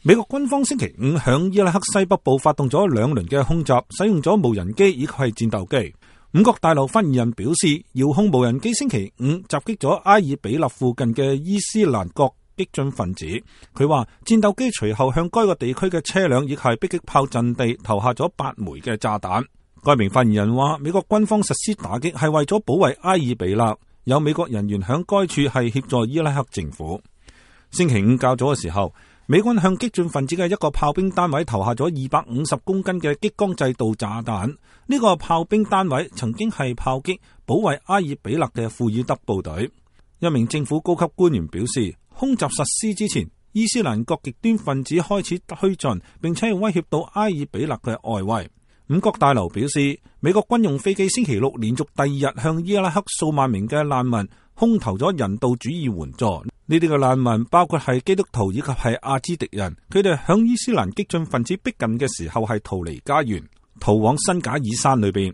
美國軍方星期五向伊拉克西北部發動咗2輪嘅空襲，使用咗無人機以及係戰鬥機。五角大樓發言人表示，遙控無人機星期五襲擊咗埃爾比勒附近嘅伊斯蘭國激進分子。佢話戰鬥機隨後向該個地區嘅車輛以及係迫擊炮陣地投下咗8枚嘅炸彈。該名發言人話，美國軍方實施打擊係為咗保衛埃爾比勒，有美國人員響該處係協助伊拉克政府。星期五較早嘅時候，美軍向激進分子嘅一個炮兵單位投下咗250公斤嘅激光製導炸彈。呢個炮兵單位曾經係炮擊保衛埃爾比勒嘅庫爾德部隊。一名政府高級官員表示，空襲實施之前，伊斯蘭國極端分子開始推進，並且威脅到埃爾比勒嘅外圍。五角大樓表示，美國軍用飛機星期六連續第2日向伊拉克數萬名嘅難民空投咗人道主義援助。呢啲嘅難民包括係基督徒以及係阿茲迪人，佢哋響伊斯蘭激進分子逼近嘅時候係逃離家園，逃往新賈爾山裏邊。